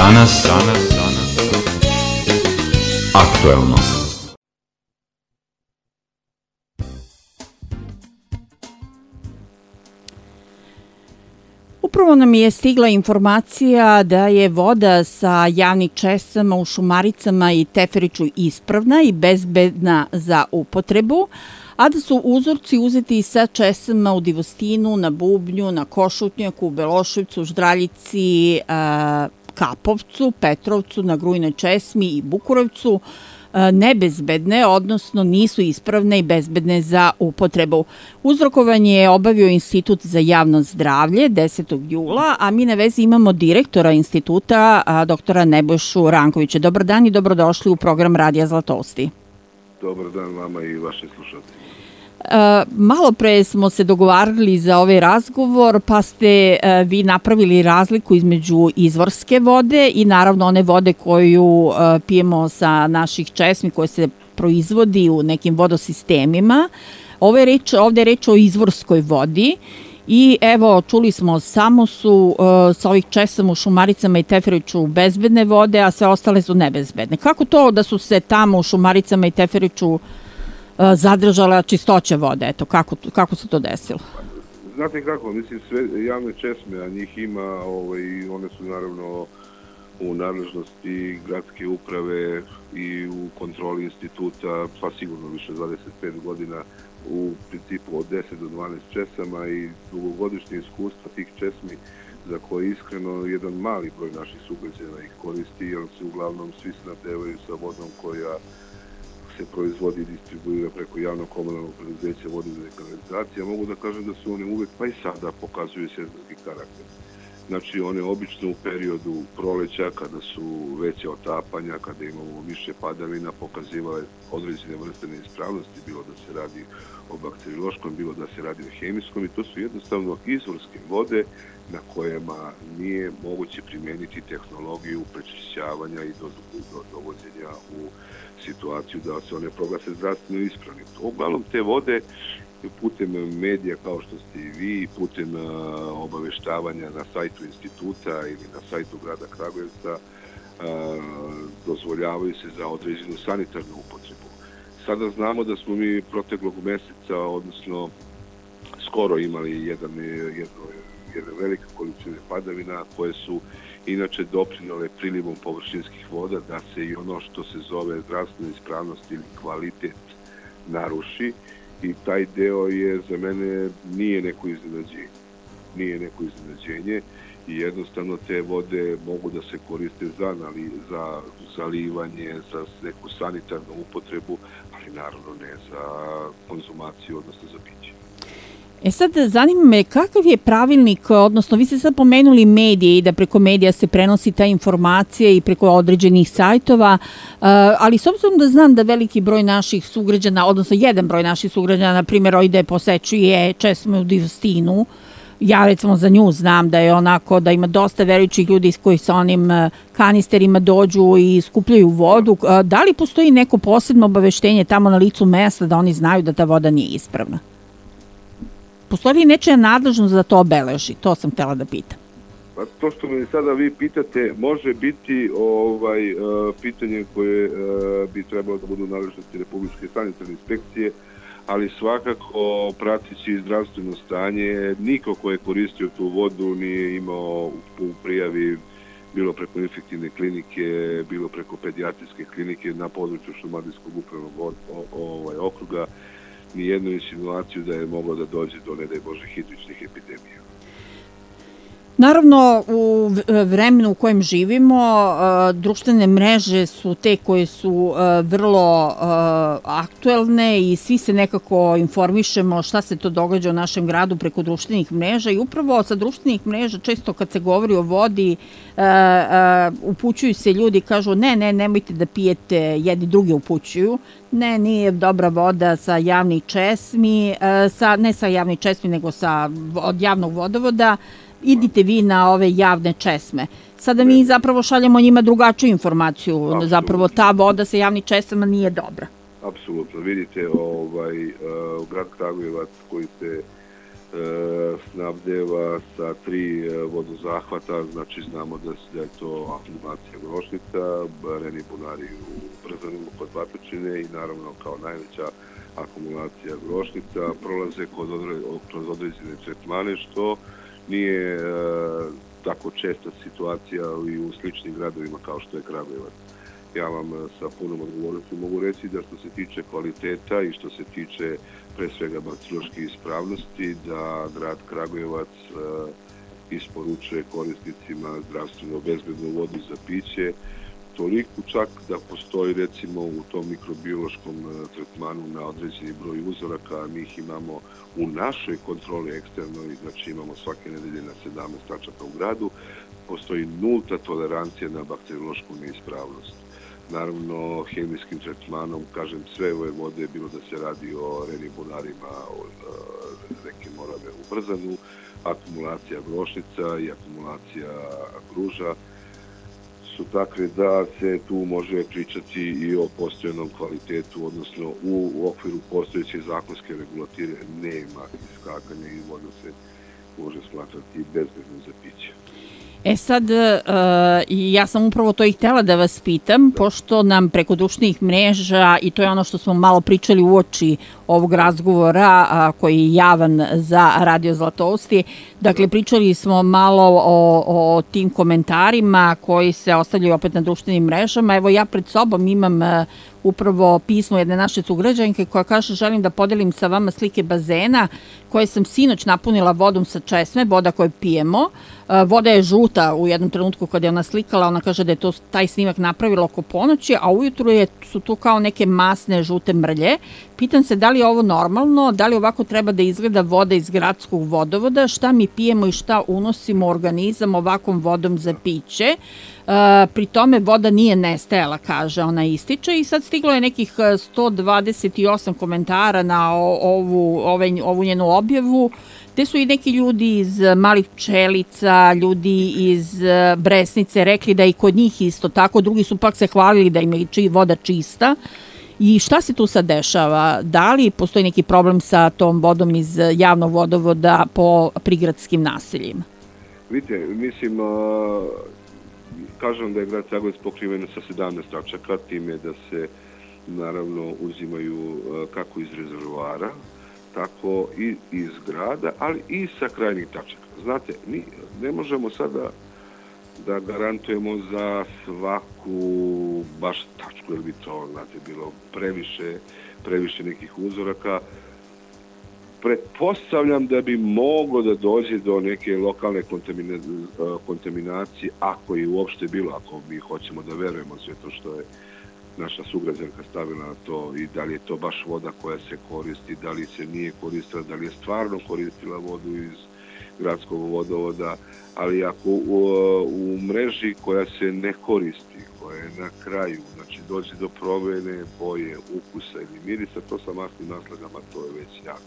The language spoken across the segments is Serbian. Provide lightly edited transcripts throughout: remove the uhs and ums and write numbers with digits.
Danas aktuelno. Upravo nam je stigla informacija da je voda sa javnih česama u Šumaricama i Teferiću ispravna i bezbedna za upotrebu, a da su uzorci uzeti sa česama u Divostinu, na Bubnju, na Košutnjaku, u Beloševcu, Ždraljici, Kapovcu, Petrovcu, na Grujnoj česmi i Bukurevcu nebezbedne, odnosno nisu ispravne i bezbedne za upotrebu. Uzrokovanje je obavio Institut za javno zdravlje 10. jula, a mi na vezi imamo direktora instituta, doktora Nebojšu Rankovića. Dobar dan i dobrodošli u program Radija Zlatosti. Dobar dan vama i vašim slušateljima. Malo pre smo se dogovarali za ovaj razgovor, pa ste vi napravili razliku između izvorske vode i naravno one vode koju pijemo sa naših česmi koje se proizvodi u nekim vodosistemima. Ovde je reč o izvorskoj vodi. I evo, čuli smo, samo su sa ovih česama u Šumaricama i Teferiću bezbedne vode, a sve ostale su nebezbedne. Kako to da su se tamo u Šumaricama i Teferiću zadržala čistoća vode? Eto, kako se to desilo? Znate kako, mislim, sve javne česme, a njih ima, i one su naravno u nadležnosti gradske uprave i u kontroli instituta, pa sigurno više 25 godina, u principu od 10 do 12 česama i dugogodišnje iskustva tih česmi za koje iskreno jedan mali broj naših sugrađana ih koristi, jer se uglavnom svi snabdevaju sa vodom koja se proizvodi i distribuira preko javnog komunalnog preduzeća vode za kanalizacije. Mogu da kažem da su one uvek, pa i sada, pokazuju sezonski karakter. Znači, one obično u periodu proleća, kada su veće otapanja, kada imamo više padavina, pokazivale određene vrste neispravnosti, bilo da se radi o bakteriološkom, bilo da se radi o hemijskom, i to su jednostavno izvorske vode na kojima nije moguće primeniti tehnologiju prečišćavanja i dovođenja u situaciju da se one proglase zdravstveno ispravnim. Uglavnom te vode putem medija kao što ste i vi, putem obaveštavanja na sajtu instituta ili na sajtu grada Kragujevca dozvoljavaju se za određenu sanitarnu upotrebu. Sada znamo da smo mi proteklog meseca, odnosno skoro imali jedne velike količine padavina koje su inače doprinole prilivom površinskih voda da se i ono što se zove zdravstvena ispravnost ili kvalitet naruši, i taj deo je za mene nije neko iznenađenje i jednostavno te vode mogu da se koriste za zalivanje, za neku sanitarnu upotrebu, ali naravno ne za konzumaciju, odnosno za piće. Sad, zanima me kakav je pravilnik, odnosno vi ste sad pomenuli medije i da preko medija se prenosi ta informacija i preko određenih sajtova, ali s obzirom da znam da veliki broj naših sugrađana, odnosno jedan broj naših sugrađana, na primjer, ide posećuje česme u Divostinu, ja recimo za nju znam da je onako, da ima dosta verujućih ljudi koji sa onim kanisterima dođu i skupljaju vodu. Da li postoji neko posebno obaveštenje tamo na licu mesta da oni znaju da ta voda nije ispravna? Postoji li nečija nadležnost da to obeleži? To sam htjela da pitam. Pa to što me sada vi pitate može biti pitanje koje bi trebalo da budu nadležnosti Republičke sanitarne inspekcije, ali svakako prateći zdravstveno stanje, niko ko je koristio tu vodu nije imao u prijavi, bilo preko infektivne klinike, bilo preko pedijatrijske klinike na području Šumadijskog upravnog okruga, ni jednu insinuaciju da je moglo da dođe do, ne daj Bože, hidričnih epidemija. Naravno, u vremenu u kojem živimo, društvene mreže su te koje su vrlo aktuelne i svi se nekako informišemo šta se to događa u našem gradu preko društvenih mreža, i upravo sa društvenih mreža često kad se govori o vodi upućuju se ljudi, kažu nemojte da pijete, jedni drugi upućuju, nije dobra voda sa javnih česmi, ne sa javnih česmi nego od javnog vodovoda, idite vi na ove javne česme. Sada mi zapravo šaljemo njima drugačiju informaciju. Absolutno. Zapravo ta voda sa javnim česmama nije dobra. Apsolutno. Vidite, grad Kragujevac koji se snabdeva sa 3 vodozahvata, znači znamo da je to akumulacija Grošnica, Reni Bunari u Brzanima kod Batočine i naravno kao najveća akumulacija Grošnica prolaze kroz određene tretmane, što nije tako česta situacija i u sličnim gradovima kao što je Kragujevac. Ja vam sa punom odgovornošću mogu reći da što se tiče kvaliteta i što se tiče pre svega bakteriološke ispravnosti, da grad Kragujevac isporučuje korisnicima zdravstveno bezbednu vodu za piće, toliko čak da postoji recimo u tom mikrobiološkom tretmanu na određeni broj uzoraka, mi ih imamo u našoj kontroli eksternoj, znači imamo svake nedelje na 17 tačaka u gradu, postoji nulta tolerancija na bakteriološku neispravnost. Naravno, hemijskim tretmanom, kažem, sve ove vode, bilo da se radi o Reni Bunarima, o reke Morave u Brzanu, akumulacija Grošnica i akumulacija Gruža, su takve da se tu može pričati i o postojanom kvalitetu, odnosno u okviru postojeće zakonske regulative nema iskakanja i voda se može smatrati bezbednom za piće. Sad, ja sam upravo to i htjela da vas pitam, pošto nam preko društvenih mreža, i to je ono što smo malo pričali uoči ovog razgovora koji je javan za Radio Zlatousti, dakle pričali smo malo o tim komentarima koji se ostavljaju opet na društvenim mrežama. Evo ja pred sobom imam upravo pismo jedne naše sugrađanke koja kaže: želim da podelim sa vama slike bazena koje sam sinoć napunila vodom sa česme, voda koju pijemo. Voda je žuta u jednom trenutku kada je ona slikala, ona kaže da je to taj snimak napravila oko ponoći, a ujutru su tu kao neke masne žute mrlje. Pitam se da li je ovo normalno, da li ovako treba da izgleda voda iz gradskog vodovoda, šta mi pijemo i šta unosimo u organizam ovakvom vodom za piće. Pri tome voda nije nestajala, kaže, ona ističe, i sad stiglo je nekih 128 komentara na ovu njenu objavu, gde su i neki ljudi iz Malih Pčelica, ljudi iz Bresnice rekli da i kod njih isto tako, drugi su pak se hvalili da im je voda čista. I šta se tu sad dešava? Da li postoji neki problem sa tom vodom iz javnog vodovoda po prigradskim naseljima? Vidite, mislim, kažem da je grad Kragujevac pokriven sa 17 tačaka, time da se naravno uzimaju kako iz rezervoara, tako i iz grada, ali i sa krajnjih tačaka. Znate, ne možemo sada da garantujemo za svaku baš tačku, jer bi to, znate, bilo previše nekih uzoraka. Pretpostavljam da bi moglo da dođe do neke lokalne kontaminacije, ako je uopšte bilo, ako mi hoćemo da verujemo sve to što je naša sugrađanka stavila na to i da li je to baš voda koja se koristi, da li se nije koristila, da li je stvarno koristila vodu iz gradskog vodovoda, ali ako u mreži koja se ne koristi, koja je na kraju, znači dođe do promene boje, ukusa ili mirisa, to sa masnim naslagama, to je već jako.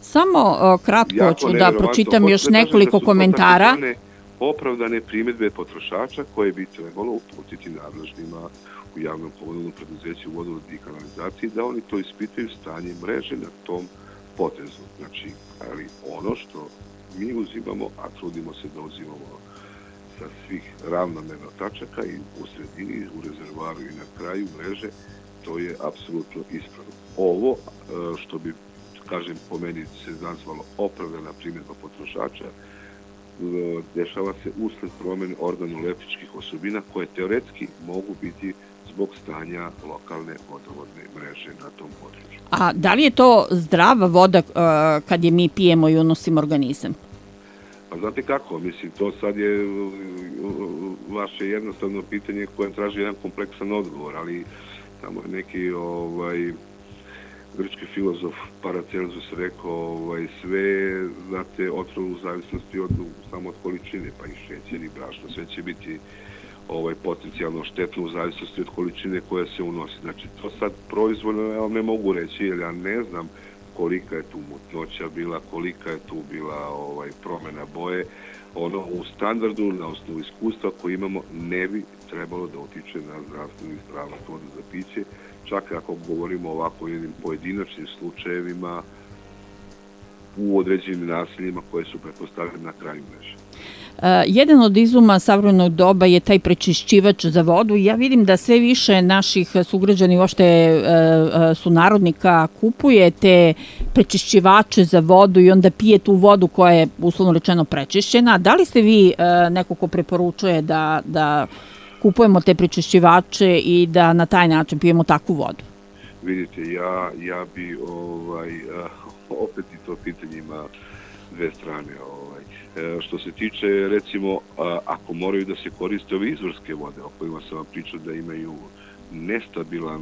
Samo kratko ću da pročitam još nekoliko komentara. Opravdane primjedbe potrošača koje bi trebalo uputiti nadležnima u javnom komunalnom preduzeću vodovod i kanalizaciji, da oni to ispitaju stanje mreže na tom potezu. Znači, ali ono što mi uzimamo, a trudimo se da uzimamo sa svih ravnomerno tačaka i u sredini, u rezervoaru i na kraju mreže, to je apsolutno ispravno. Ovo što bi, kažem, po meni se nazvalo opravdana primjedba potrošača, dešava se usled promene organoleptičkih osobina koje teoretski mogu biti zbog stanja lokalne vodovodne mreže na tom području. A da li je to zdrava voda kad je mi pijemo i unosimo organizam? Pa znate kako, mislim, to sad je vaše jednostavno pitanje koje traži jedan kompleksan odgovor, ali tamo je neki grčki filozof Paracelsus rekao sve, znate, otrov u zavisnosti samo od količine, pa i šećer i brašno, sve će biti potencijalno štetno u zavisnosti od količine koja se unosi. Znači, to sad proizvoljno ja vam ne mogu reći, jer ja ne znam kolika je tu mutnoća bila, kolika je tu bila promena boje. U standardu, na osnovu iskustva koje imamo, ne bi trebalo da utiče na zdravstvenu ispravnost vode za piće, čak ako govorimo ovako o jednim pojedinačnim slučajevima, u određenim naseljima koje su pretpostavljene na kraju mreže. Jedan od izuma savremenog doba je taj prečišćivač za vodu. Ja vidim da sve više naših sugrađana i uopšte sunarodnika kupuje te prečišćivače za vodu i onda pije tu vodu koja je uslovno rečeno prečišćena. Da li ste vi neko ko preporučuje da kupujemo te prečišćivače i da na taj način pijemo takvu vodu? Vidite, ja bi opet i to pitanje ima dve strane. Što se tiče, recimo, ako moraju da se koriste ove izvorske vode, o kojima sam vam pričao da imaju nestabilan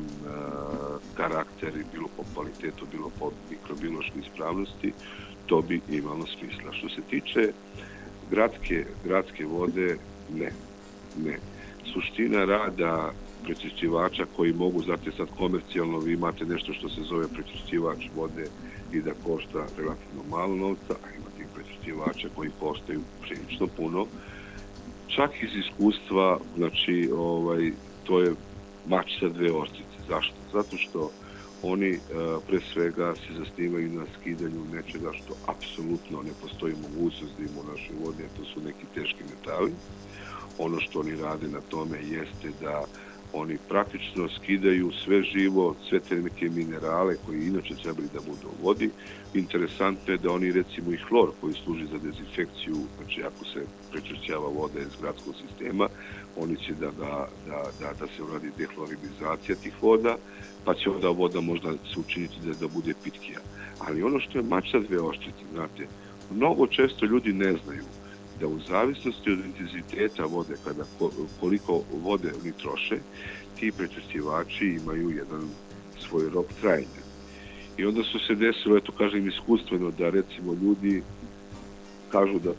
karakter, bilo po kvalitetu, bilo po mikrobiološkoj ispravnosti, to bi imalo smisla. Što se tiče gradske vode, ne. Suština rada prečišćivača koji mogu, znate sad komercijalno, vi imate nešto što se zove prečišćivač vode i da košta relativno malo novca, a imate i prečišćivača koji koštaju prilično puno. Čak iz iskustva, znači, to je mač sa dve oštrice. Zašto? Zato što oni pre svega se zasnivaju na skidanju nečega što apsolutno ne postoji mogućnost da ima u našoj vodi, a to su neki teški metali. Ono što oni rade na tome jeste da oni praktično skidaju sve živo, sve te neke minerale koji inače trebali da budu u vodi. Interesantno je da oni recimo i hlor koji služi za dezinfekciju, znači ako se prečišćava voda iz gradskog sistema, oni će da se uradi dehlorinizacija tih voda, pa će onda voda možda se učiniti da bude pitkija. Ali ono što je mač sa dve oštrice, znate, mnogo često ljudi ne znaju da u zavisnosti od intenziteta vode, koliko vode oni troše, ti prečišćivači imaju jedan svoj rok trajanja. I onda su se desilo, eto kažem iskustveno, da recimo ljudi kažu da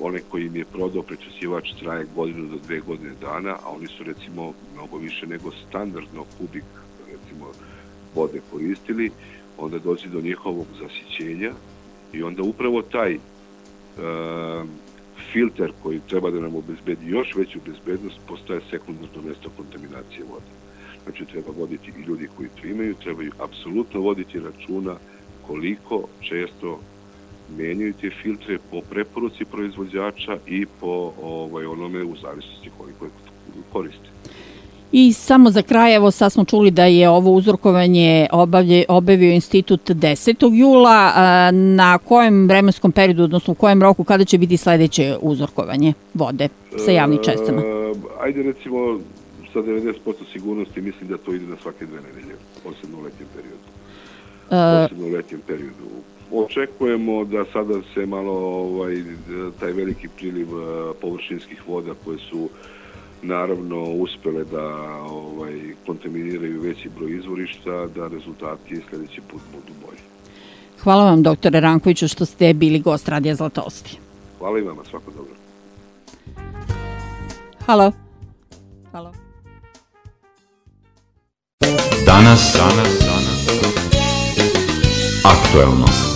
onaj koji im je prodao prečišćivač traje 1 do 2 godine dana, a oni su recimo mnogo više nego standardno kubik recimo vode koristili, onda dođe do njihovog zasićenja i onda upravo taj filter koji treba da nam obezbedi još veću bezbednost postaje sekundarno mesto kontaminacije vode. Znači treba voditi i ljudi koji to imaju, trebaju apsolutno voditi računa koliko često menjaju te filtre po preporuci proizvođača i po onome u zavisnosti koliko je koriste. I samo za kraj, evo sad smo čuli da je ovo uzorkovanje obavio institut 10. jula. Na kojem vremenskom periodu, odnosno u kojem roku, kada će biti sledeće uzorkovanje vode sa javnim česticama? Ajde recimo sa 90% sigurnosti mislim da to ide na svake 2 nedelje, posebno u letnjem periodu. Očekujemo da sada se malo taj veliki priliv površinskih voda koje su naravno uspele da kontaminiraju veći broj izvorišta, da rezultati sledeći put budu bolji. Hvala vam, doktore Rankoviću, što ste bili gost Radija Zlatosti. Hvala i vama, svako dobro. Halo. Danas aktuelno.